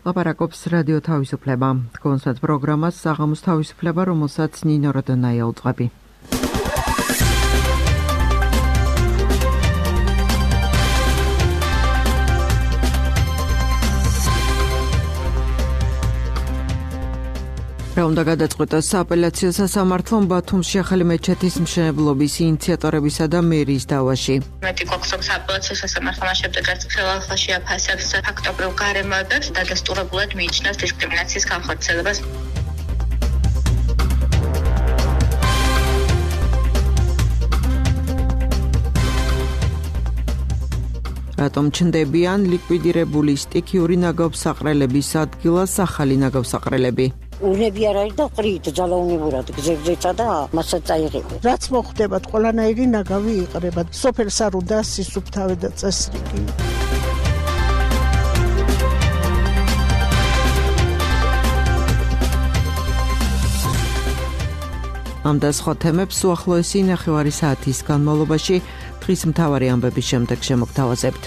ლაპარაკობს რადიო თავისუფლება. კონსერტ პროგრამას საღამოს თავისუფლება, რომელსაც ნინო როდონაია უძღვები. რა უნდა გადაწყვეტოს სააპელაციო სასამართლომ ბათუმში ახალი მეჩეთის მშენებლობის ინიციატორებისა და მერის დავაში. მეტი გვაქვს სააპელაციო სასამართლომ შემდეგაც ხელახალში აფასებს ფაქტობრივ გარემოებებს და დადასტურებულად მიიჩნევს დისკრიმინაციის განხორციელებას. რატომ ჩნდებიან ლიკვიდირებული სტიქიური ნაგავსაყრელების ადგილას ახალი ნაგავსაყრელები? უნები არ არის და ყრით ძალაუნებურად გზებზეცა და მასაც წაიღებენ. რაც მოხდებათ, ყველანაირი ნაგავი იყრება. სოფელს არ უნდა სისუფთავე და წესრიგი. ამ და სხვა თემებს უახლოესი ნახევარი საათის განმავლობაში დღის მთავარი ამბების შემდეგ შემოგთავაზებთ.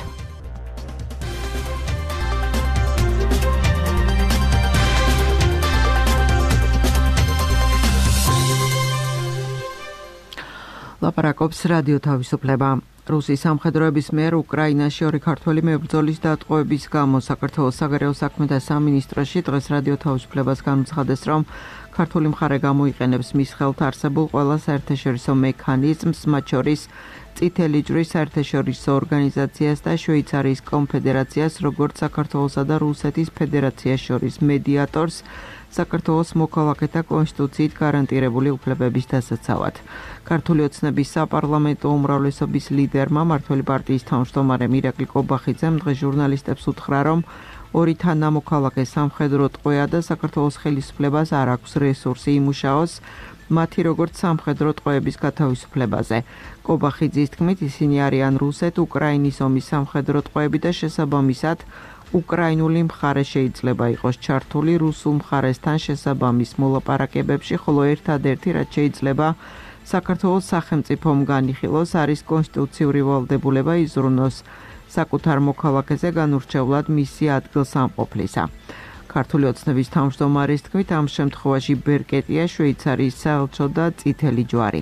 ლაპარაკობს რადიო თავისუფლება. რუსის სამხედროების მიერ უკრაინაში ორი ქართველი მებრძოლის დატყვევების გამო საქართველოს საგარეო საქმეთა სამინისტროში დღეს რადიო თავისუფლებას განუცხადეს, რომ ქართული მხარე გამოიყენებს მის ხელთ არსებულ ყველა საერთაშორისო მექანიზმს, მათ შორის წითელი ჯვრის საერთაშორისო ორგანიზაციას და შვეიცარიის კონფედერაციას, როგორც საქართველოსა და რუსეთის ფედერაციას შორის მედიატორს, საქართველოს მოქალაქეთა კონსტიტუციით გარანტირებული უფლებების დასაცავად. ქართული ოცნების საპარლამენტო უმრავლესობის ლიდერმა მმართველი პარტიის თავმჯდომარემ ირაკლი კობახიძემ დღეს ჟურნალისტებს უთხრა, რომ ორი თანამოქალაქე სამხედრო ტყვეა და საქართველოს ხელისუფლებას არ აქვს რესურსი იმუშაოს მათი როგორც სამხედრო ტყვეების გათავისუფლებაზე. კობახიძის თქმით, ისინი არიან რუსეთ-უკრაინის ომის სამხედრო ტყვეები და შესაბამისად უკრაინული მხარე შეიძლება იყოს ჩართული რუსულ მხარესთან შესაბამის მოლაპარაკებებში, ხოლო ერთადერთი რაც შეიძლება საქართველოს სახელმწიფომ განიხილოს არის კონსტიტუციური ვალდებულება იზრუნოს საკუთარ მოქალაქეზე განურჩევლად მისი ადგილსამყოფლისა. ქართული ოცნების თავმჯდომარის თქმით, ამ შემთხვევაში ბერკეტია შვეიცარიის საელჩო და წითელი ჯვარი.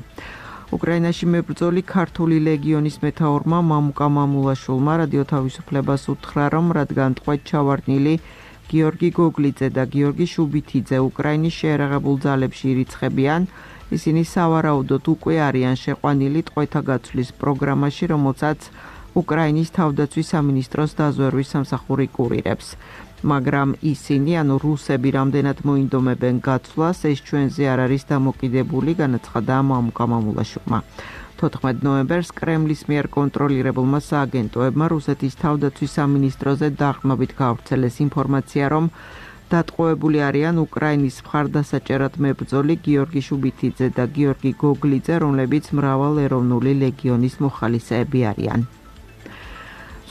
უკრაინაში მებრძოლი ქართული ლეგიონის მეთაურმა მამუკა მამულაშვილმა რადიო თავისუფლებას უთხრა, რომ რადგან ტყვედ ჩავარდნილი გიორგი გოგლიძე და გიორგი შუბითიძე უკრაინის შეერაღებულ ძალებში ირიცხებიან, ისინი სავარაუდოდ უკვე არიან შეყვანილი ტყვეთა გაცვლის პროგრამაში, რომელსაც უკრაინის თავდაცვის სამინისტროს დაზვერვის სამსახური კურირებს. მაგრამ ისინი, ანუ რუსები, რამდენად მოინდომებენ გაცვლას, ეს ჩვენზე არ არის დამოკიდებული, განაცხადა მამუკა მამულაშვილმა. 14 ნოემბერს კრემლის მიერ კონტროლირებულმა სააგენტოებმა რუსეთის თავდაცვის სამინისტროზე დაყრდნობით გავრცელეს ინფორმაცია, რომ დატყვევებული არიან უკრაინის მხარდასაჭერად მებრძოლი გიორგი შუბითიძე და გიორგი გოგლიძე, რომლებიც მრავალეროვნული ლეგიონის მოხალისეები არიან.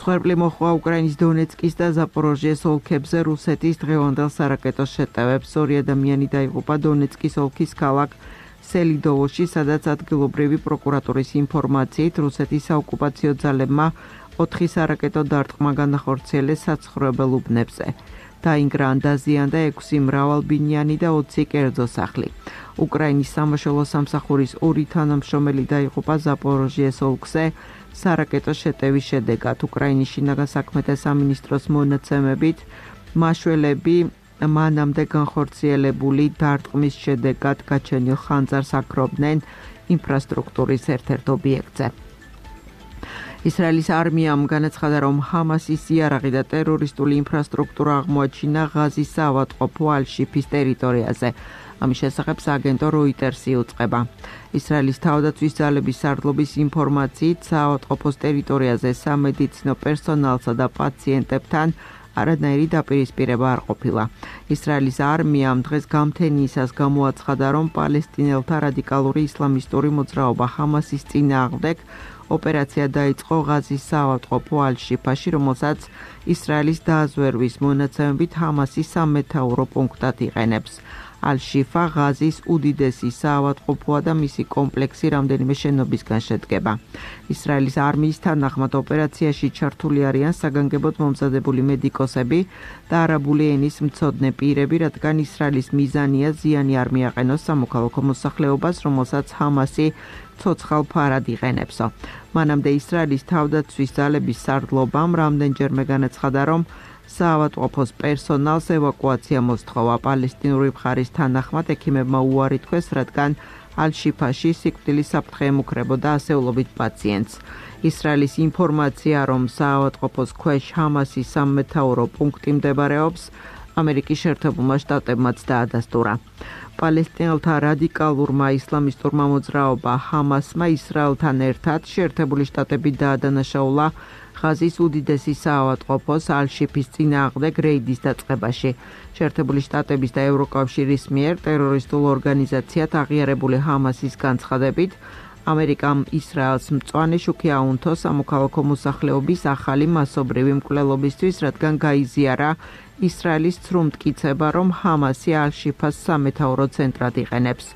მსხვერპლი მოჰყვა უკრაინის დონეცკის და ზაპოროჟიეს ოლქებზე რუსეთის დღევანდელ სარაკეტო შეტევებს. ორი ადამიანი დაიღუპა დონეცკის ოლქის ქალაქ სელიდოვოში, სადაც ადგილობრივი პროკურატურის ინფორმაციით რუსეთის საოკუპაციო ძალებმა 4 სარაკეტო დარტყმა განახორციელეს საცხოვრებელ უბნებზე. დაინგრა ან დაზიანდა 6 მრავალბინიანი და 20 კერძო სახლი. უკრაინის სამაშველო სამსახურის 2 თანამშრომელი დაიღუპა ზაპოროჟიეს ოლქზე სარაკეტო შეტევის შედეგად. უკრაინის შინაგან საქმეთა სამინისტროს მონაცემებით, მაშველები მანამდე განხორციელებული დარტყმის შედეგად გაჩენილ ხანძარს აქრობდნენ ინფრასტრუქტურის ერთ-ერთ ობიექტზე. ისრაელის არმიამ განაცხადა, რომ ჰამასის იარაღი და ტერორისტული ინფრასტრუქტურა აღმოაჩინა ღაზის საავადმყოფო ალ-შიფის ტერიტორიაზე. ამის შესახებ სააგენტო როიტერსი უწყება. ისრაელის თავდაცვის ძალების სარდლობის ინფორმაციით, საავადმყოფოს ტერიტორიაზე სამედიცინო პერსონალსა და პაციენტებთან არანაირი დაპირისპირება არ ყოფილა. ისრაელის არმიამ დღეს გამთენიისას გამოაცხადა, რომ პალესტინელთა რადიკალური ისლამისტური მოძრაობა ჰამასის წინააღმდეგ ოპერაცია დაიწყო ღაზის საავადმყოფო ალ-შიფაში, რომელსაც ისრაელის დაზვერვის მონაცემებით ჰამასის სამეთაურო პუნქტად იყენებს. ალ-შიფა ღაზის უდიდესი საავადმყოფოა და მისი კომპლექსი რამდენიმე შენობისგან შედგება. ისრაელის არმიის თანახმად ოპერაციაში ჩართული არიან საგანგებოდ მომზადებული მედიკოსები და არაბული ენის მცოდნე პირები, რადგან ისრაელის მიზანია ზიანი არ მიაყენოს სამოქალაქო მოსახლეობას, რომელსაც ჰამასი ცოცხალ ფარად იყენებსო. მანამდე ისრაელის თავდაცვის ძალების სარდლობამ რამდენჯერმე განაცხადა, რომ საავადმყოფოს პერსონალს ევაკუაცია მოსთხოვა. პალესტინური მხარის თანახმად ექიმებმა უარი თქვეს, რადგან ალ-შიფაში სიკვდილის საფრთხე ემუქრებოდა ასეულობით პაციენტს. ისრაელის ინფორმაცია, რომ საავადმყოფოს ქვეშ ჰამასის სამმეთაურო პუნქტი მდებარეობს, ამერიკის შეერთებულმა შტატებმაც დაადასტურა. პალესტინელთა რადიკალურმა ისლამისტურმა მოძრაობა ჰამასმა ისრაელთან ერთად შეერთებული შტატები დაადანაშაულა ღაზის უდიდესი საავადმყოფოს ალ-შიფის წინააღმდეგ რეიდის დაწყებაში. შეერთებული შტატების და ევროკავშირის მიერ ტერორისტულ ორგანიზაციად აღიარებული ჰამასის განცხადებით, ამერიკამ ისრაელს მწვანე შუქი აუნთო სამოქალაქო მოსახლეობის ახალი მასობრივი მკვლელობისთვის, რადგან გაიზიარა ისრაელის ცრუმტკიცება, რომ ჰამასი ალ-შიფას სამეთაურო ცენტრად იყენებს.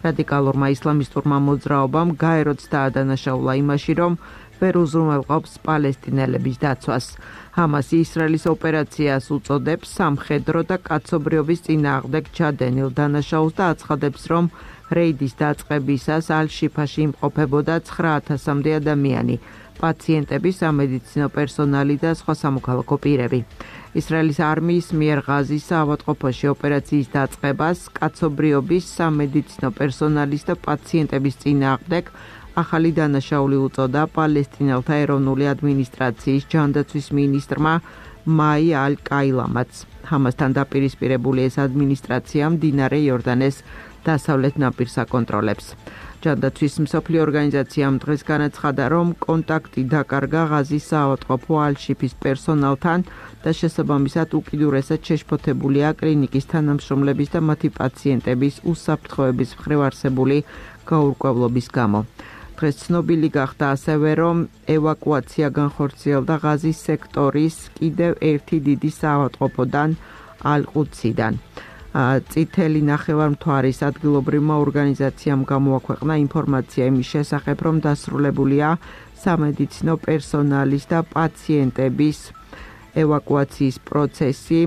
რადიკალურმა ისლამისტურმა მოძრაობამ გაეროც დაადანაშაულა იმაში, რომ ვერ უზრუნველყოფს პალესტინელების დაცვას. ჰამასი ისრაელის ოპერაციას უწოდებს სამხედრო და კაცობრიობის წინააღმდეგ ჩადენილ დანაშაულს და აცხადებს, რომ რეიდის დაწყებისას ალ-შიფაში იმყოფებოდა 9,000-მდე ადამიანი, პაციენტები, სამედიცინო პერსონალი და სხვა სამოქალაქო პირები. ისრაელის არმიის მიერ ღაზის საავადმყოფოში ოპერაციის დაწყებას კაცობრიობის, სამედიცინო პერსონალის და პაციენტების წინააღმდეგ ახალი დანაშაული უწოდა პალესტინელთა ეროვნული ადმინისტრაციის ჯანდაცვის მინისტრმა მაი ალ-კაილამაც. ჰამასთან დაპირისპირებული ეს ადმინისტრაცია მდინარე იორდანეს დასავლეთ ნაპირს აკონტროლებს. ჯანდაცვის მსოფლიო ორგანიზაციამ დღეს განაცხადა, რომ კონტაქტი დაკარგა ღაზის საავადმყოფო ალ-შიფის პერსონალთან და შესაბამისად უკიდურესად შეშფოთებულია კლინიკის თანამშრომლების და მათი პაციენტების უსაფრთხოების მხრივ არსებული გაურკვევლობის გამო. დღეს ცნობილი გახდა ასევე, რომ ევაკუაცია განხორციელდა ღაზის სექტორის კიდევ ერთი დიდი საავადმყოფოდან ალ-ყუდსიდან. წითელი ნახევარმთვარის ადგილობრივმა ორგანიზაციამ გამოაქვეყნა ინფორმაცია იმის შესახებ, რომ დასრულებულია სამედიცინო პერსონალის და პაციენტების ევაკუაციის პროცესი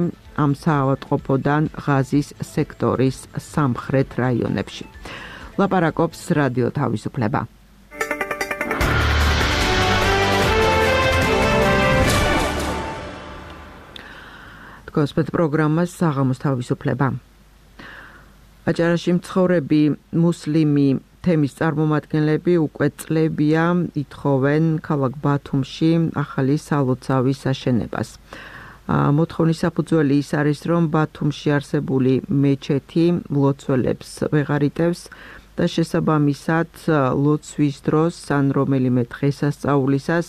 ამ საავადმყოფოდან ღაზის სექტორის სამხრეთ რაიონებში. ლაპარაკობს რადიო თავისუფლება. გოსპეთ პროგრამას საღამოს თავისუფლება. აჭარაში მცხოვრები მუსლიმი თემის წარმომადგენლები უკვე წლებია ითხოვენ ქალაქ ბათუმში ახალი სალოცავის აშენებას. მოთხოვნის საფუძველი ის არის, რომ ბათუმში არსებული მეჩეთი ლოცველებს ვეღარ იტევს და შესაბამისად ლოცვის დროს ან რომელიმე დღესასწაულისას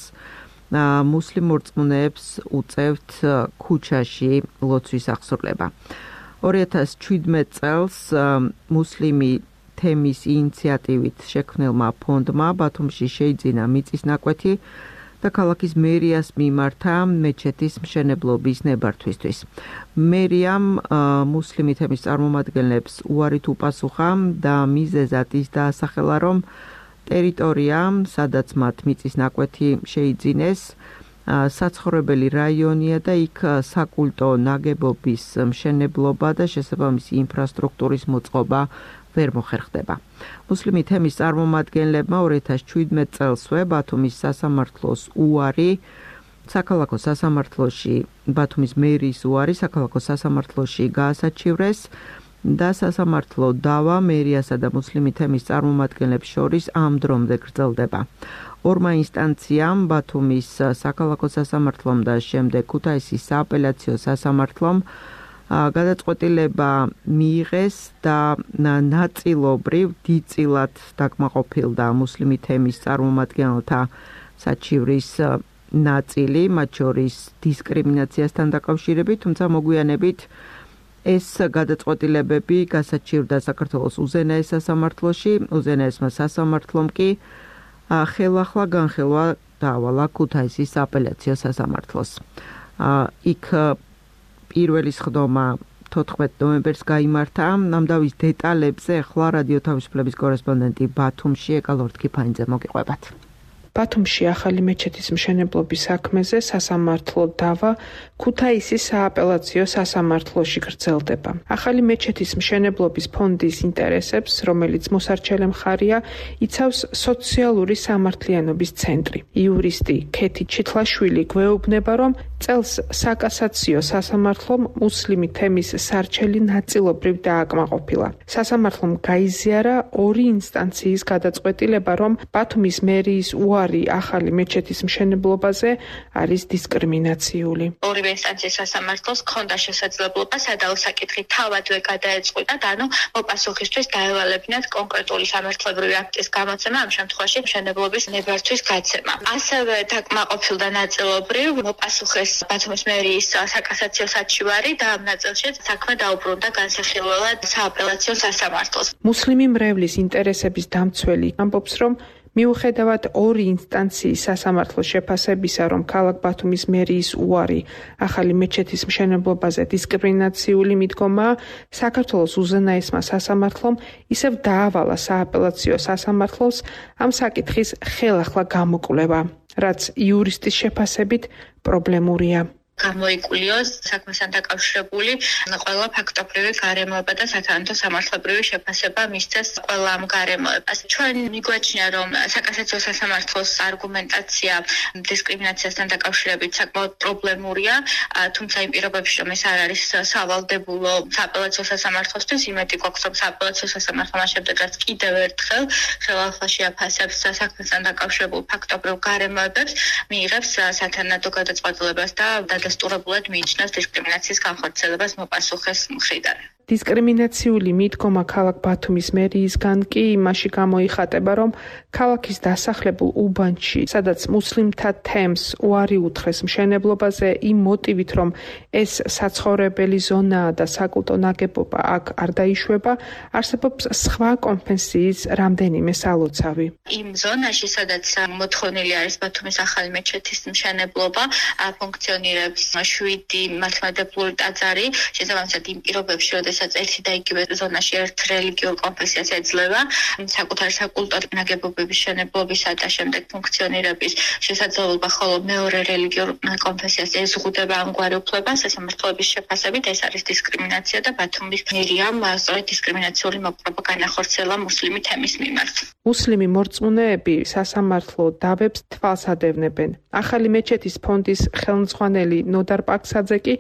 მუსლიმ მორწმუნეებს უწევთ ქუჩაში ლოცვის აღსრულება. 2017 წელს მუსლიმი თემის ინიციატივით შექმნილმა ფონდმა ბათუმში შეიძინა მიწის ნაკვეთი და ქალაქის მერიას მიმართა მეჩეთის მშენებლობის ნებართვისთვის. მერიამ მუსლიმი თემის წარმომადგენლებს უარით უპასუხა და მიზეზად ის დაასახელა, რომ ტერიტორია, სადაც მათ მიწის ნაკვეთი შეიძინეს, საცხოვრებელი რაიონია და იქ საკულტო ნაგებობის მშენებლობა და შესაბამისი ინფრასტრუქტურის მოწყობა ვერ მოხერხდება. მუსლიმი თემის წარმომადგენლებმა 2017 წელსვე ბათუმის სასამართლოს უარი საქალაქო სასამართლოში ბათუმის მერის უარი საქალაქო სასამართლოში გაასაჩივრეს და სასამართლო დავა მერიასა და მუსლიმი თემის წარმომადგენლებს შორის ამ დრომდე გრძელდება. ორმა ინსტანციამ ბათუმის საქალაქო სასამართლომ და შემდეგ ქუთაისის სააპელაციო სასამართლომ გადაწყვეტილება მიიღეს და ნაწილობრივ დიდწილად დაკმაყოფილდა მუსლიმი თემის წარმომადგენელთა საჩივრის ნაწილი, მათ შორის დისკრიმინაციასთან დაკავშირებით, თუმცა მოგვიანებით ეს გადაწყვეტილებები გასაჩივრდა საქართველოს უზენაეს სასამართლოში, უზენაესმა სასამართლომ კი ხელახლა განხილვა დაავალა ქუთაისის სააპელაციო სასამართლოს. იქ პირველი სხდომა 14 ნოემბერს გაიმართა. ამ დავის დეტალებზე ახლა რადიო თავისუფლების კორესპონდენტი ბათუმში ეკალორთ კიფანიძე მოგიყვებათ. ბათუმში ახალი მეჩეთის მშენებლობის საქმეზე სასამართლო დავა ქუთაისის სააპელაციო სასამართლოში გრძელდება. ახალი მეჩეთის მშენებლობის ფონდის ინტერესებს, რომელიც მოსარჩელე მხარია, იცავს სოციალური სამართლიანობის ცენტრი. იურისტი ქეთი ჩიტლაშვილი გვეუბნება, რომ წელს საკასაციო სასამართლომ მუსლიმი თემის სარჩელი ნაწილობრივ დააკმაყოფილა. სასამართლომ გაიზიარა ორი ინსტანციის გადაწყვეტილება, რომ ბათუმის მერიის უარი ახალი მეჩეთის მშენებლობაზე არის დისკრიმინაციული. ორივე ინსტანციის სასამართლოს ჰქონდა შესაძლებლობა სადავო საკითხი თავადვე გადაეწყვიტა, ანუ მოპასუხისთვის დაევალებინათ კონკრეტული სამართლებრივი აქტის გამოცემა, ამ შემთხვევაში მშენებლობის ნებართვის გაცემა. ასევე დაკმაყოფილდა ნაწილობრივ მოპასუხეს ბათუმის მერიის საკასაციო საჩივარი და ამ ნაწილშიც საქმე დაუბრუნდა განსახილველად სააპელაციო სასამართლოს. მუსლიმი მრევლის ინტერესების დამცველი ამბობს, რომ მიუხედავად ორი ინსტანციის სასამართლოს შეფასებისა, რომ ქალაქ ბათუმის მერიის უარი ახალი მეჩეთის მშენებლობაზე დისკრიმინაციული მიდგომაა, საქართველოს უზენაესმა სასამართლომ ისევ დაავალა სააპელაციო სასამართლოს ამ საკითხის ხელახლა გამოკვლევა, რაც იურისტის შეფასებით პრობლემურია. გამოიკულიოს საქმესთან დაკავშირებული ყველა ფაქტობრივი გარემოება და სათანადო სამართლებრივი შეფასება მისცეს ყველა ამ გარემოებას. ჩვენ მიგვაჩნია, რომ საკასაციო სასამართლოს არგუმენტაცია დისკრიმინაციასთან დაკავშირებით საკმაოდ პრობლემურია, თუმცა იმ პირობებში, რომ ეს არ არის სავალდებულო სააპელაციო სასამართლოსთვის, იმედი გვაქვს, რომ სააპელაციო სასამართლო მას შემდეგაც კიდევ ერთხელ ხელახლა შეაფასებს საქმესთან დაკავშირებულ ფაქტობრივ გარემოებებს, მიიღებს სათანადო გადაწყვეტილებას და დასტურებულად მიიჩნევს დისკრიმინაციის განხორციელებას მოპასუხეს მხრიდან. დისკრიმინაციული მიდგომა ქალაქ ბათუმის მერიისგან კი იმაში გამოიხატება, რომ ქალაქის დასახლებულ უბანში, სადაც მუსლიმთა თემს უარი უთხრეს მშენებლობაზე იმ მოტივით, რომ ეს საცხოვრებელი ზონაა და საკულტო ნაგებობა აქ არ დაიშვება, არსებობს სხვა კონფესიის რამდენიმე სალოცავი. იმ ზონაში, სადაც მოთხოვნილი არის ბათუმის ახალი მეჩეთის მშენებლობა, ფუნქციონირებს 7 მართლმადიდებლური ტაძარი, შესაბამისად იმ პირობებში, როდესაც ერთი და იგივე ზონაში ერთ რელიგიურ კონფესიას ეძლევა, საკუთარი საკულტო ნაგებობების მშენებლობისა და შემდეგ ფუნქციონირების შესაძლებლობა, ხოლო მეორე რელიგიურ კონფესიას ეზღუდება ამგვარი უფლება, სასამართლოების შეფასებით ეს არის დისკრიმინაცია და ბათუმის მერიამ სწორედ დისკრიმინაციული მოპყრობა განახორციელა მუსლიმი თემის მიმართ. მუსლიმი მორწმუნეები სასამართლო დავებს თვალს ადევნებენ. ახალი მეჩეთის ფონდის ხელმძღვანელი ნოდარ პაქსაძე კი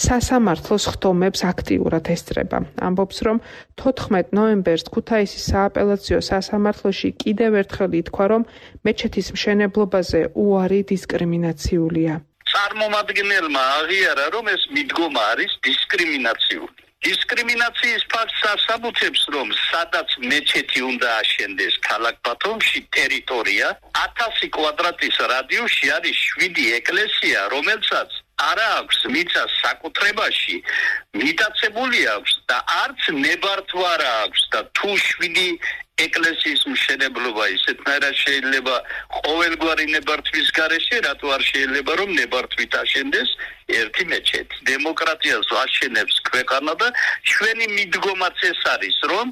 სასამართლოს ხდომებს აქტიურად ესწრება. ამბობს, რომ 14 ნოემბერს ქუთაისის სააპელაციო სასამართლოში კიდევ ერთხელ ითქვა, რომ მეჩეთის მშენებლობაზე უარი დისკრიმინაციულია. წარმომადგენელმა აღიარა, რომ ეს მიდგომა არის დისკრიმინაციული. დისკრიმინაციის ფაქტს ასაბუთებს, რომ სადაც მეჩეთი უნდა აშენდეს ქალაქ ბათუმში ტერიტორია 1000 კვადრატის რადიუსში არის 7 ეკლესია, რომელსაც არა აქვს მიწა საკუთრებაში, მიტაცებული აქვს და არც ნებართვა არა აქვს და თუ 7 ეკლესიის მშენებლობა ისეთნაირად შეიძლება ყოველგვარი ნებართვის გარეშე, რატო არ შეიძლება რომ ნებართვით აშენდეს ერთი მეჩეთი. დემოკრატიას აშენებს ქვეყანა და ჩვენი მიდგომაც ეს არის, რომ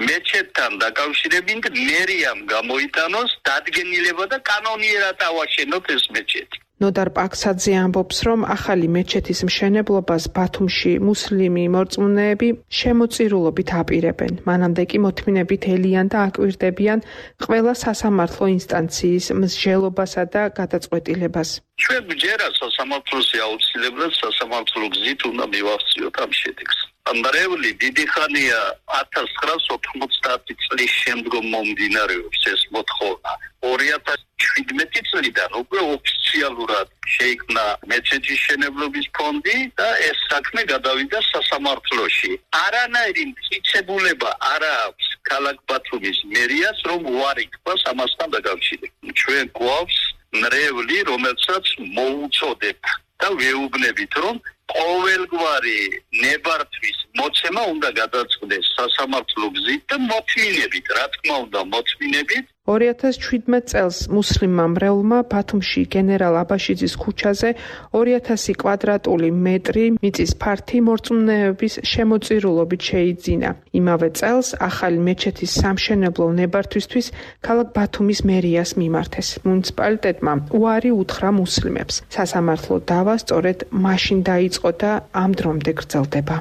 მეჩეთთან დაკავშირებით მერიამ გამოიტანოს დადგენილება და კანონიერად ავაშენოთ ეს მეჩეთი. ნოდარ პაქსაძე ამბობს, რომ ახალი მეჩეთის მშენებლობას ბათუმში მუსლიმი მორწმუნეები შემოწირულობით აპირებენ. მანამდე კი მოთმინებით ელიან და აკვირდებიან ყველა სასამართლო ინსტანციის მსჯელობასა და გადაწყვეტილებას. ჩვენ ვჯერა სასამართლოში აუცილებლად სასამართლო გზით უნდა მივახციოთ ამ შედეგს. მრევლი დიდი ხანია 1990 წლის შემდგომ მომდინარეობს ეს მოთხოვნა. 2017 წლიდან უკვე ოფიციალურად შეიქმნა მეჩეთის მშენებლობის ფონდი და ეს საქმე გადავიდა სასამართლოში. არანაირი მტკიცებულება არ აქვს ქალაქ ბათუმის მერიას, რომ უარი თქვას ამასთან დაკავშირებით. ჩვენ გვაქვს მრევლი, რომელსაც მოუწოდებთ და ვეუბნებით, რომ ყოველგვარი ნებართვის მოცემა უნდა გადაწყდეს სასამართლო გზით და მოთმინებით, რა თქმა უნდა, მოთმინებით 2017 წელს მუსლიმმა მრევლმა ბათუმში გენერალ აბაშიძის ქუჩაზე 2000 კვადრატული მეტრი მიწის ფართი მორწმუნეების შემოწირულობით შეიძინა. იმავე წელს ახალი მეჩეთის სამშენებლო ნებართვისთვის ქალაქ ბათუმის მერიას მიმართეს. მუნიციპალიტეტმა უარი უთხრა მუსლიმებს. სასამართლო დავა სწორედ მაშინ დაიწყო და ამ დრომდე გრძელდება.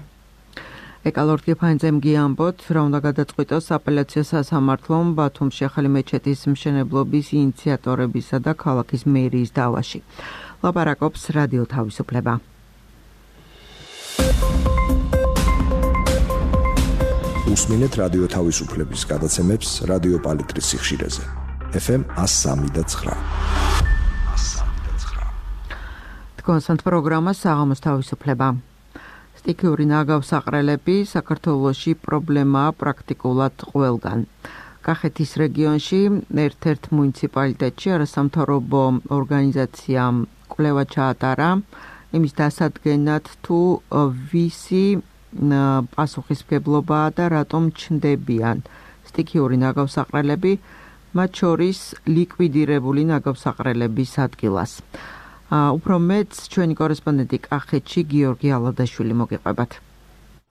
ეკალორდ გეფანძემ გიამბოთ, რა უნდა გადაწყვიტოს აპელაციო სასამართლომ ბათუმში ახალი მეჩეთის მშენებლობის ინიციატორებისა და ქალაქის მერიის დავაში. ლაპარაკობს რადიო თავისუფლება. უსმინეთ რადიო თავისუფლების გადაცემებს რადიო პალიტრის სიხშირეზე. FM 103.9. თქვენს პროგრამას საღამოს თავისუფლება. სტიქიური ნაგავსაყრელები საქართველოში პრობლემაა პრაქტიკულად ყველგან. კახეთის რეგიონში ერთ-ერთ მუნიციპალიტეტში არასამთავრობო ორგანიზაციამ კვლევა ჩაატარა იმის დასადგენად თუ ვისი პასუხისმგებლობაა და რატომ ჩნდებიან სტიქიური ნაგავსაყრელები, მათ შორის ლიკვიდირებული ნაგავსაყრელების ადგილას. უფრო მეც ჩვენი კორესპონდენტი კახეთში გიორგი ალადაშვილი მოგიყვებათ.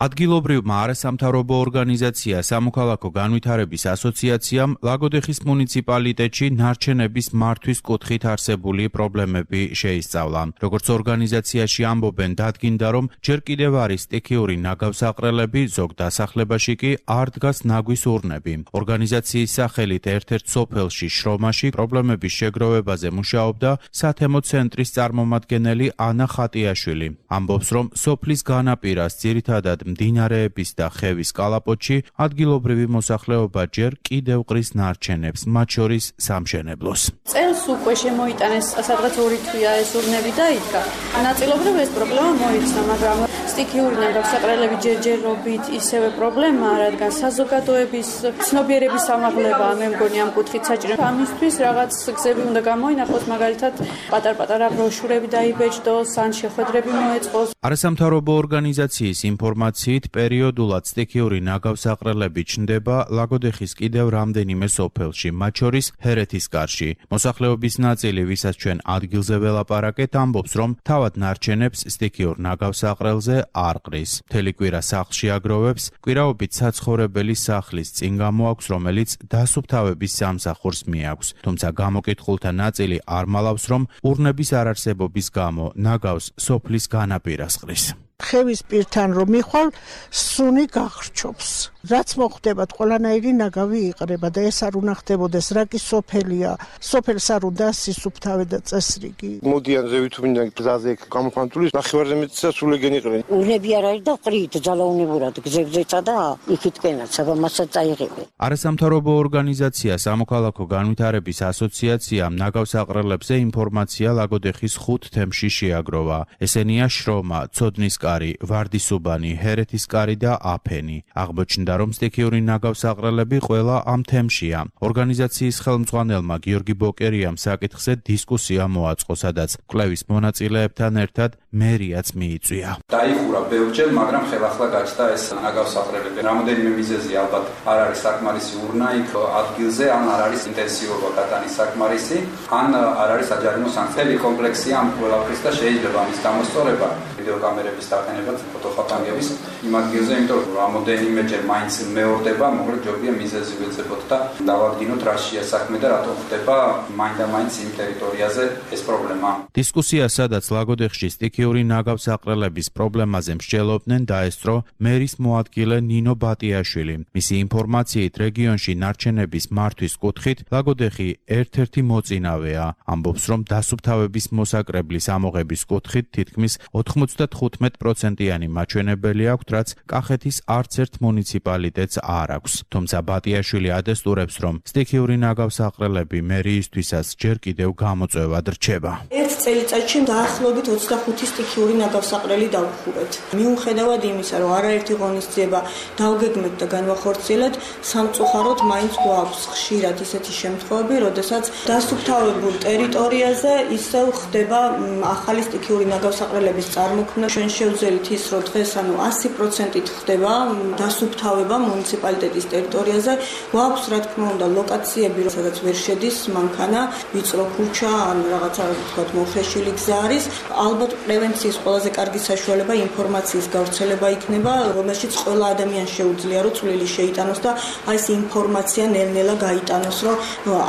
ადგილობრივმა არასამთავრობო ორგანიზაცია სამოქალაქო განვითარების ასოციაციამ ლაგოდეხის მუნიციპალიტეტში ნარჩენების მართვის კუთხით არსებული პრობლემები შეისწავლა. როგორც ორგანიზაციაში ამბობენ, დადგინდა, რომ ჯერ კიდევ არის სტიქიური ნაგავსაყრელები, ზოგ დასახლებაში კი არ დგას ნაგვის ურნები. ორგანიზაციის სახელით ერთ-ერთ სოფელში შრომაში პრობლემების შეგროვებაზე მუშაობდა სათემო ცენტრის წარმომადგენელი ანა ხატიაშვილი. ამბობს, რომ სოფლის განაპირას ძირითადად მდინარეების და ხევის კალაპოტში ადგილობრივი მოსახლეობა ჯერ კიდევ ყრის ნარჩენებს, მათ შორის სამშენებლოს. წელს უკვე შემოიტანეს სადღაც 2 თვეა ეს ურნები დაიდგა. ნაწილობრივ ეს პრობლემა მოიცვა, მაგრამ სტიქიური ნაგავსაყრელები ჯერჯერობით ისევე პრობლემაა, რადგან საზოგადოების ცნობიერების ამაღლება მე მგონი ამ კუთხით საჭირო. ამისთვის რაღაც გზები უნდა გამოინახოს, მაგალითად პატარ-პატარა ბროშურები დაიბეჭდოს, ან შეხვედრები მოეწყოს. არასამთავრობო ორგანიზაციის ინფორმაციით პერიოდულად სტიქიური ნაგავსაყრელები ჩნდება ლაგოდეხის კიდევ რამდენიმე სოფელში, მათ შორის ჰერეთისკარში. მოსახლეობის ნაწილი, ვისაც ჩვენ ადგილზე ველაპარაკეთ, ამბობს, რომ თავად ნარჩენებს სტიქიურ ნაგავსაყრელზე არ ყრის. მთელი კვირა სახლში აგროვებს, კვირაობით საცხოვრებელი სახლის წინ გამოაქვს, რომელიც დასუფთავების სამსახურს მიაქვს. თუმცა გამოკითხულთა ნაწილი არ მალავს, რომ ურნების არარსებობის გამო ნაგავს სოფლის განაპირას ყრის. ხევის პირთან რომ მიხვალ, სუნი გახრჩობს. რაც მოხდებათ, ყველანაირი ნაგავი იყრება და ეს არ უნდა ხდებოდეს, რა კი სოფელია. სოფელს არ უნდა სისუფთავე და წესრიგი. მოდიან ზევითუმინდა გზაზე გამოყვანტული, ნახევარზე მეტისა სულეგენ იყრენ. ურნები არ არის და ყრით ძალაუნებურად გზებზეცა და იქითკენაც, აბა მასაც წაიღებენ. არასამთავრობო ორგანიზაცია სამოქალაქო განვითარების ასოციაციამ ნაგავსაყრელებზე ინფორმაცია ლაგოდეხის 5 თემში შეაგროვა. ესენია შრომა, ცოდნისკარი, ვარდისუბანი, ჰერეთისკარი და აფენი. აღმოჩნდა, რომ სტიქიური ნაგავსაყრელები ყველა ამ თემშია. ორგანიზაციის ხელმძღვანელმა გიორგი ბოკერიამ საკითხზე დისკუსია მოაწყო, სადაც კვლევის მონაწილეებთან ერთად მერიაც მიიწვია. დაიხურა ბევრჯერ, მაგრამ ხელახლა გაჩნდა ეს ნაგავსაყრელები. რამოდენიმე მიზეზი ალბათ არ არის საკმარისი ურნა იქ ადგილზე, ან არ არის ინტენსიურობა გატანის საკმარისი, ან არ არის საჯარიმო სანქციები კომპლექსია ამ ყველაფრის და შეიძლება ამის გამოსწორება ვიდეოკამერების დაყენებაც, ფოტოხატანგების იმ ადგილზე, იმიტომ რომ რამოდენიმეჯერ მაინც მეორდება, მოკლედ ჯობია მიზეზი ვეცებოთ და დავადგინოთ რა შეა საქმე და რატომ ხდება მაინდა-მაინც იმ ტერიტორიაზე ეს პრობლემა. დისკუსია, სადაც ლაგოდეხში სტიქიური ნაგავსაყრელების პრობლემაზე მსჯელობდნენ, დაესწრო მერის მოადგილე ნინო ბატიაშვილი. მისი ინფორმაციით, რეგიონში ნარჩენების მართვის კუთხით ლაგოდეხი ერთ-ერთი მოწინავეა. ამბობს, რომ დასუფთავების მოსაკრებლის ამოღების კუთხით თითქმის 95%-იანი მაჩვენებელი აქვს, რაც კახეთის არც ერთ მუნიციპალიტეტს არ აქვს. თუმცა ბატიაშვილი ადესტურებს, რომ სტიქიური ნაგავსაყრელები მერიისთვისაც ჯერ კიდევ გამოწვევად რჩება. ერთ წელიწადში დაახლოებით 25 სტიქიური ნაგავსაყრელი დავხურეთ. მიუხედავად იმისა, რომ არაერთი ღონისძიება დავგეგმეთ და განვახორციელეთ, სამწუხაროდ მაინც გვაქვს ხშირად ისეთი შემთხვევები, როდესაც დასუფთავებულ ტერიტორიაზე ისევ ხდება ახალი სტიქიური ნაგავსაყრელების წარმოქმნა გამოქმნა. ჩვენ შევძელით ის, რომ დღეს 100%-ით ხდება დასუფთავება მუნიციპალიტეტის ტერიტორიაზე. გვაქვს რა თქმა უნდა ლოკაციები, სადაც ვერ შედის მანქანა, ვიწრო ქუჩა, ან რაღაცა თქვათ მოხეშილი გზა არის. ალბათ პრევენციის ყველაზე კარგი საშუალება ინფორმაციის გავრცელება იქნება, რომელშიც ყველა ადამიანს შეუძლია რომ წვლილი შეიტანოს და აი ეს ინფორმაცია ნელ-ნელა გაიტანოს, რომ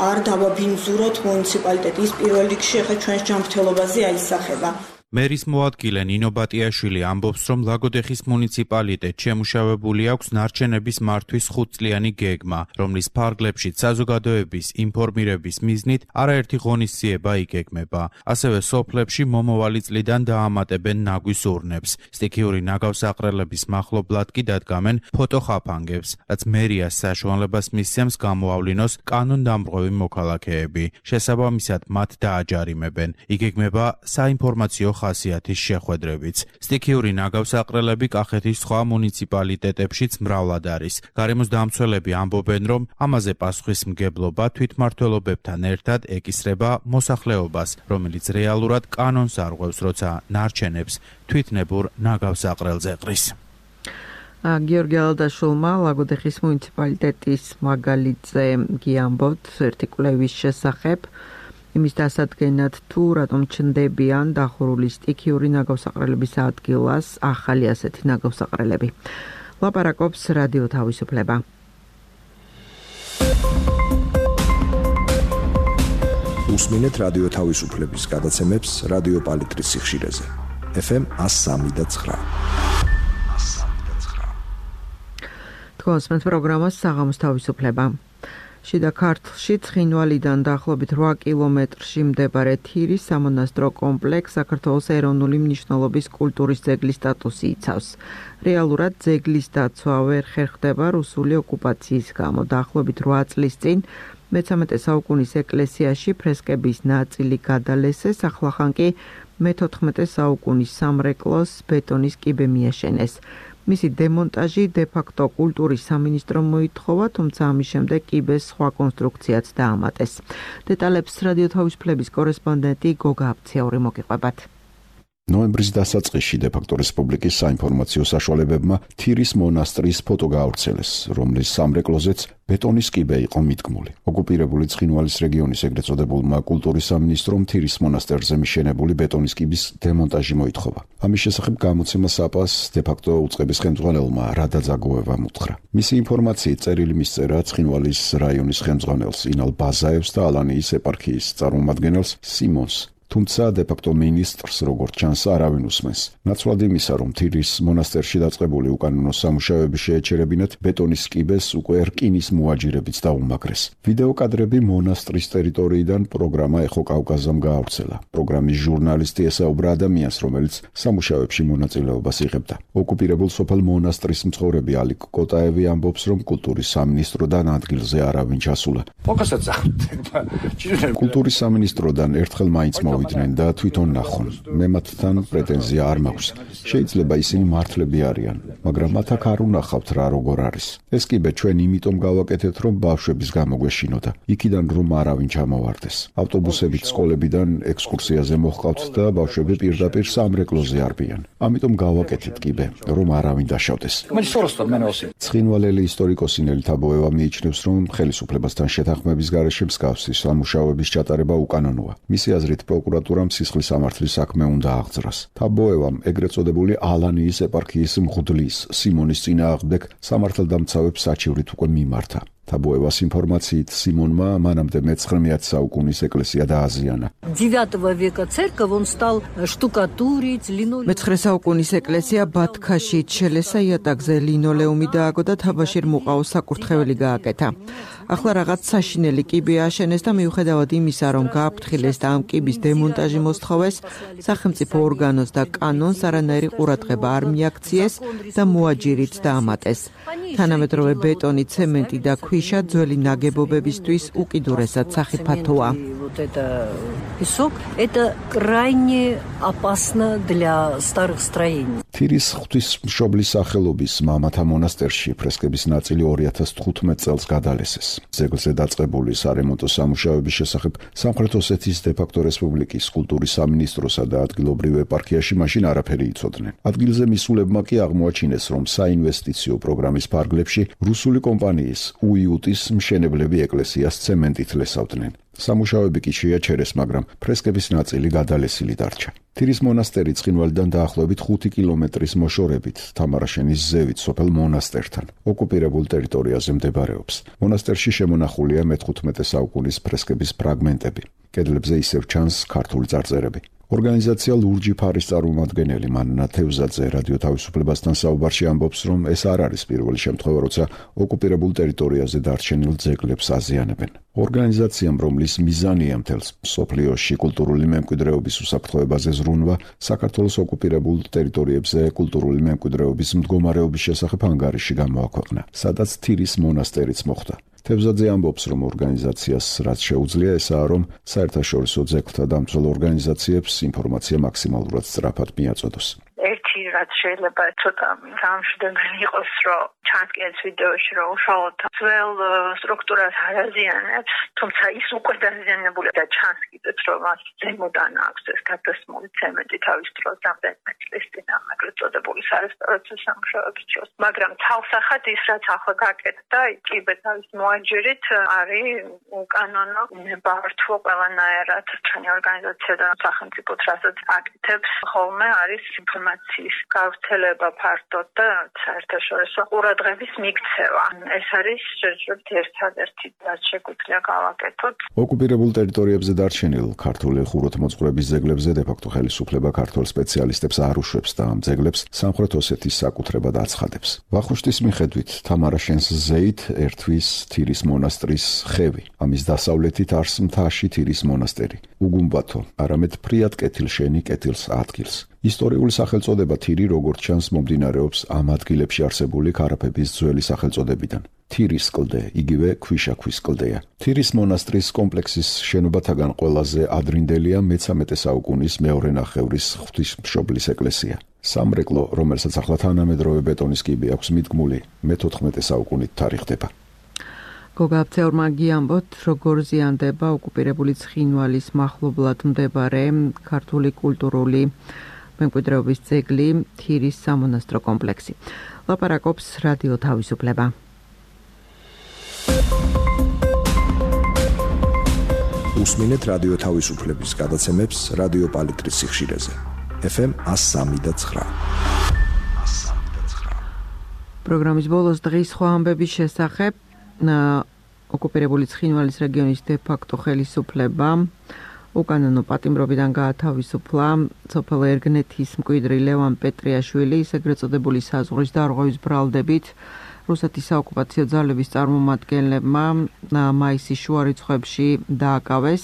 არ დავაბინძუროთ მუნიციპალიტეტის პირველ რიგში ახლა ჩვენს ჯანმრთელობაზე აისახება. მერის მოადგილე ნინო ბატიაშვილი ამბობს, რომ ლაგოდეხის მუნიციპალიტეტში შემუშავებული აქვს ნარჩენების მართვის 5-წლიანი გეგმა, რომლის ფარგლებშიც საზოგადოების ინფორმირების მიზნით არაერთი ღონისძიება იგეგმება. ასევე სოფლებში მომავალი წლიდან დაამატებენ ნაგვის ურნებს. სტიქიური ნაგავსაყრელების მახლობლად კი დადგამენ ფოტოხაფანგებს, რაც მერიას საშუალებას მისცემს გამოავლინოს კანონდამრღვევი მოქალაქეები. შესაბამისად მათ დააჯარიმებენ. იგეგმება საინფორმაციო ხასიათის შეხვედრებიც. სტიქიური ნაგავსაყრელები კახეთის სხვა მუნიციპალიტეტებშიც მრავლად არის. გარემოს დამცველები ამბობენ, რომ ამაზე პასუხისმგებლობა თვითმმართველობებთან ერთად ეკისრება მოსახლეობას, რომელიც რეალურად კანონს არღვევს, როცა ნარჩენებს თვითნებურ ნაგავსაყრელზე ყრის. გიორგი ალადაშვილმა ლაგოდეხის მუნიციპალიტეტის მაგალითზე გიამბობთ ერთი კვლევის შესახებ. იმის დასადგენად თუ რატომ ჩნდებიან დახურული სტიქიური ნაგავსაყრელების ადგილას ახალი ასეთი ნაგავსაყრელები. ლაპარაკობს რადიო თავისუფლება. უსმინეთ რადიო თავისუფლების გადაცემებს რადიო პალიტრის სიხშირეზე. FM 103.9. თქვენს პროგრამას საღამოს თავისუფლება. შიდა ქართლში ცხინვალიდან დაახლოებით 8 კილომეტრში მდებარე თირის სამონასტრო კომპლექსს საქართველოს ეროვნული მნიშვნელობის კულტურის ძეგლის სტატუსი იცავს. რეალურად ძეგლის დაცვა ვერ ხერხდება რუსული ოკუპაციის გამო. დაახლოებით 8 წლის წინ მე-13 საუკუნის ეკლესიაში ფრესკების ნაწილი გადალესეს, ახლახან კი მე-14 საუკუნის სამრეკლოს ბეტონის კიბე მიაშენეს. მისი დემონტაჟი დე-ფაქტო კულტურის სამინისტრომ მოითხოვა, თუმცა ამის შემდეგ კიბეს სხვა კონსტრუქციაც დაამატეს. დეტალებს რადიო თავისუფლების კორესპონდენტი გოგა აფციაური მოგიყვებათ. ნოემბრის დასაწყისში დე-ფაქტო რესპუბლიკის საინფორმაციო საშუალებებმა თირის მონასტრის ფოტო გაავრცელეს, რომლის სამრეკლოზეც ბეტონის კიბე იყო მიდგმული. ოკუპირებული ცხინვალის რეგიონის ეგრეთ წოდებულმა კულტურის სამინისტრომ თირის მონასტერზე მიშენებული ბეტონის კიბის დემონტაჟი მოითხოვა. ამის შესახებ გამოცემა საპას დე-ფაქტო უწყების ხელმძღვანელმა რადა ძაგოევამ უთხრა. მისი ინფორმაციით წერილი მისწერა ცხინვალის რაიონის ხელმძღვანელს ინალ ბაზაევს და ალანიის ეპარქიის წარმომადგენელს სიმონს. თუმცა დე-ფაქტო მინისტრს როგორც ჩანს არავინ უსმენს. ნაცვლად იმისა, რომ თირის მონასტერში დაწყებული უკანონო სამუშაოები შეეჩერებინათ, ბეტონის კიბეს უკვე რკინის მოაჯირებიც დაუმაგრეს. ვიდეო კადრები მონასტრის ტერიტორიიდან პროგრამა ეხო კავკაზამ გაავრცელა. პროგრამის ჟურნალისტი ესაუბრა ადამიანს, რომელიც სამუშაოებში მონაწილეობას იღებდა. ოკუპირებულ სოფელ მონასტრის მცხოვრები ალიკ კოტაევი ამბობს, რომ კულტურის სამინისტროდან ადგილზე არავინ ჩასულა. კულტურის სამინისტროდან ერთხელ მაინც მოვიდნენ და თვითონ ნახონ. მე მათთან პრეტენზია არ მაქვს. შეიძლება ისინი მართლები არიან, მაგრამ მათ აქ არ უნახავთ რა როგორ არის. ეს კიბე ჩვენ იმიტომ გავაკეთეთ, რომ ბავშვების გამოგვეშინოდა. იქიდან რომ არავინ ჩამოვარდეს. ავტობუსებით სკოლებიდან ექსკურსიაზე მოჰყავთ და ბავშვები პირდაპირ სამრეკლოზე არბიან. ამიტომ გავაკეთეთ კიბე, რომ არავინ დაშავდეს. ცხინვალელი ისტორიკოსი ნელი თაბოევა მიიჩნევს, რომ ხელისუფლებასთან შეთანხმების გარეშე მსგავსი სამუშაოების ჩატარება უკანონოა. მისი აზრით პროკურატურამ სისხლის სამართლის საქმე უნდა აღძრას. თაბოევამ ეგრეთ წოდებული ალანიის ეპარქიის მღვდლის სიმონის წინააღმდეგ სამართალდამცავებს საჩივრით უკვე მიმართა. თაბოევას ინფორმაციით სიმონმა მანამდე მე-19 საუკუნის ეკლესია დააზიანა. მე-19 საუკუნის ეკლესია ბათქაში ჩელესა იატაკზე ლინოლეუმი დააგო და თაბაშირ მუყაოს საკურთხეველი გააკეთა. ახლა რაღაც საშინელი კიბე აშენეს და მიუხედავად იმისა, რომ გააფრთხილეს და ამ კიბის დემონტაჟი მოსთხოვეს, სახელმწიფო ორგანოს და კანონს არანაირი ყურადღება არ მიაქციეს და მოაჯირით დაამატეს. თანამედროვე ბეტონი, ცემენტი და ქვიშა ძველი ნაგებობებისთვის უკიდურესად სახიფათოა. вот это песок, это крайне опасно для старых строений. თირის ღვთისმშობლის სახელობის მამათა მონასტერში ფრესკების ნაწილი 2015 წელს გადალესეს. ძეგლზე დაწყებული სარემონტო სამუშაოების შესახებ სამხრეთ ოსეთის დე-ფაქტო რესპუბლიკის კულტურის სამინისტროსა და ადგილობრივ ეპარქიაში მაშინ არაფერი იცოდნენ. ადგილზე მისულებმა კი აღმოაჩინეს, რომ საინვესტიციო პროგრამის ფარგლებში რუსული კომპანიის უიუტის მშენებლები ეკლესიას ცემენტით ლესავდნენ. სამუშაოები კი შეაჩერეს, მაგრამ ფრესკების ნაწილი გადალესილი დარჩა. თირის მონასტერი ცხინვალიდან დაახლოებით 5 კილომეტრის მოშორებით თამარაშენის ზევით სოფელ მონასტერთან ოკუპირებულ ტერიტორიაზე მდებარეობს. მონასტერში შემონახულია მე-15 საუკუნის ფრესკების ფრაგმენტები. კედლებზე ისევ ჩანს ქართული წარწერები. ორგანიზაცია ლურჯი ფარის წარმომადგენელი მანნა თევზაძე რადიო თავისუფლებასთან საუბარში ამბობს, რომ ეს არ არის პირველი შემთხვევა, როცა ოკუპირებულ ტერიტორიაზე დარჩენილ ძეგლებს აზიანებენ. ორგანიზაციამ, რომლის მიზანია მთელს მსოფლიოში კულტურული მემკვიდრეობის უსაფრთხოებაზე ზრუნვა, საქართველოს ოკუპირებულ ტერიტორიებზე კულტურული მემკვიდრეობის მდგომარეობის შესახებ ანგარიში გამოაქვეყნა, სადაც თირის მონასტერიც მოხვდა. თევზაძე ამბობს, რომ ორგანიზაციას რაც შეუძლია ესაა, რომ საერთაშორისო ძეგლთა დამცველ ორგანიზაციებს ინფორმაცია მაქსიმალურად სწრაფად მიაწოდოს. ერთი რაც შეიძლება ცოტა გამშვიდობელი იყოს, რომ ჩანს ვიდეოში, რომ უშუალოდ ძველ სტრუქტურას არაზიანებს, თუმცა ის უკვე დაზიანებული და ჩანს კიდეც, რომ მას ზემოდან აქვს ეს გადასმული ცემენტი თავის დროს რამდენიმე წლის წინ ამაგრეთ წოდებული სარესტავრაციო სამუშაოების დროს. მაგრამ თავსახად ის რაც ახლა გაკეთდა, იკიბე თავის მოაჯერით არის უკანონო ნებართვო ყველანაირად ჩვენი ორგანიზაცია და სახელმწიფო რასაც აკეთებს ხოლმე არის ინფორმაციის გავრცელება ფართოდ და საერთაშორისო ყურადღების მიქცევა. ეს არის ერთადერთი რაც შეგვიძლია გავაკეთოთ. ოკუპირებულ ტერიტორიებზე დარჩენილ ქართული ხუროთმოძღვრების ძეგლებზე დე-ფაქტო ხელისუფლება ქართველ სპეციალისტებს არ უშვებს და ამ ძეგლებს სამხრეთ ოსეთის საკუთრებად აცხადებს. ვახუშტის მიხედვით თამარაშენს ზეით ერთვის თირის მონასტრის ხევი. ამის დასავლეთით არს მთაში თირის მონასტერი. უგუმბათო, არამედ ფრიად კეთილშენი კეთილს ადგილს. ისტორიული სახელწოდება თირი, როგორც ჩანს, მომდინარეობს ამ ადგილებში არსებული ქარაფების ძველი სახელწოდებიდან. თირის კლდე, იგივე ქვიშაქვის კლდეა. თირის მონასტრის კომპლექსის შენობათაგან ყველაზე ადრინდელია მე-13 საუკუნის მეორე ნახევრის ღვთისმშობლის ეკლესია. სამრეკლო, რომელსაც ახლა თანამედროვე ბეტონის კიბე აქვს მიდგმული, მე-14 საუკუნით თარიღდება. გოგა აბცეურმა გიამბოთ, როგორ ზიანდება ოკუპირებული ცხინვალის მახლობლად მდებარე ქართული კულტურული მემკვიდრეობის ძეგლი თირის სამონასტრო კომპლექსი. ლაპარაკობს რადიო თავისუფლება. უსმინეთ რადიო თავისუფლების გადაცემებს რადიო პალიტრის სიხშირეზე. FM 103.9. პროგრამის ბოლოს დღის სხვა ამბების შესახებ ოკუპირებული ცხინვალის რეგიონის დე-ფაქტო ხელისუფლება უკანონო პატიმრობიდან გაათავისუფლა სოფელ ერგნეთის მკვიდრი ლევან პეტრიაშვილი, ეგრეთ წოდებული საზღვრის დარღვევის ბრალდებით რუსეთის საოკუპაციო ძალების წარმომადგენლებმა მაისის შუა რიცხვებში დააკავეს.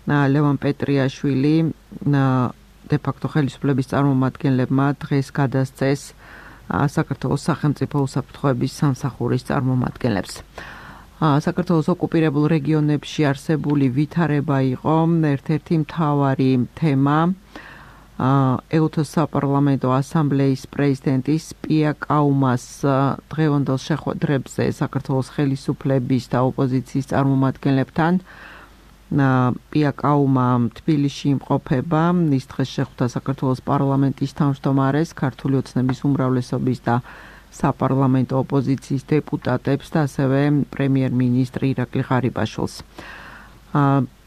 ლევან პეტრიაშვილი დე-ფაქტო ხელისუფლების წარმომადგენლებმა დღეს გადასცეს საქართველოს სახელმწიფო უსაფრთხოების სამსახურის წარმომადგენლებს. საქართველოს ოკუპირებულ რეგიონებში არსებული ვითარება იყო ერთ-ერთი მთავარი თემა ეუთოს საპარლამენტო ასამბლეის პრეზიდენტის პია კაუმას დღევანდელ შეხვედრებზე საქართველოს ხელისუფლების და ოპოზიციის წარმომადგენლებთან. პია კაუმა თბილისში იმყოფება, ის დღეს შეხვდა საქართველოს პარლამენტის თავმჯდომარეს, ქართული ოცნების უმრავლესობის და საპარლამენტო ოპოზიციის დეპუტატებს და ასევე პრემიერ-მინისტრი ირაკლი ღარიბაშვილს.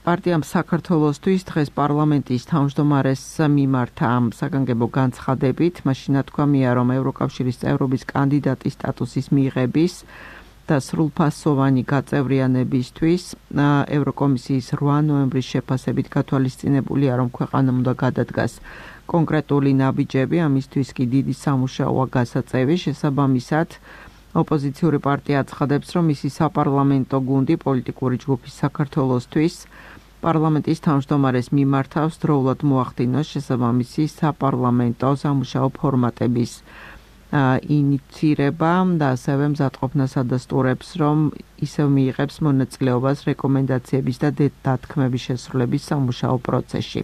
პარტიამ საქართველოსთვის დღეს პარლამენტის თავმჯდომარეს მიმართა საგანგებო განცხადებით, მაშინ თქვამია, რომ ევროკავშირის წევრობის კანდიდატის სტატუსის მიღების და სრულფასოვანი გაწევრიანებისთვის ევროკომისიის 8 ნოემბრის შეფასებით გათვალისწინებულია, რომ ქვეყანამ უნდა გადადგას კონკრეტული ნაბიჯები, ამისთვის კი დიდი სამუშაოა გასაწევი. შესაბამისად, ოპოზიციური პარტია აცხადებს, რომ მისი საპარლამენტო გუნდი პოლიტიკური ჯგუფის საქართველოსთვის პარლამენტის თავმჯდომარეს მიმართავს დროულად მოახდინოს შესაბამისი საპარლამენტო სამუშაო ფორმატების ინიცირება და ასევე მზადყოფნას ადასტურებს, რომ ისევ მიიღებს მონაწილეობას რეკომენდაციების და დათქმების შესრულების სამუშაო პროცესში.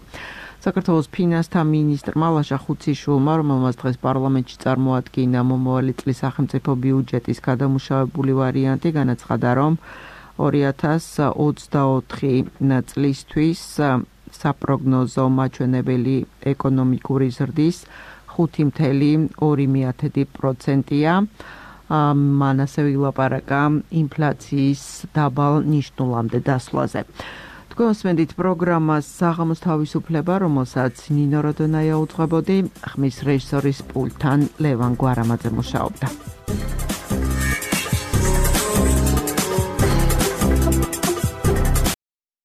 საქართველოს ფინანსთა მინისტრმა ლაშა ხუციშვილმა, რომელმაც დღეს პარლამენტში წარმოადგინა მომავალი წლის სახელმწიფო ბიუჯეტის გადამუშავებული ვარიანტი, განაცხადა, რომ 2024 წლისთვის საპროგნოზო მაჩვენებელი ეკონომიკური ზრდის 5.2%-ია. მან ასევე ილაპარაკა ინფლაციის დაბალ ნიშნულამდე დასვლაზე. თქვენ მოსმენთ პროგრამას საღამოს თავისუფლება, რომელსაც ნინო როდონაია უძღვებოდი, ხმის რეჟისორის პულტთან ლევან გვარამაძე მუშაობდა.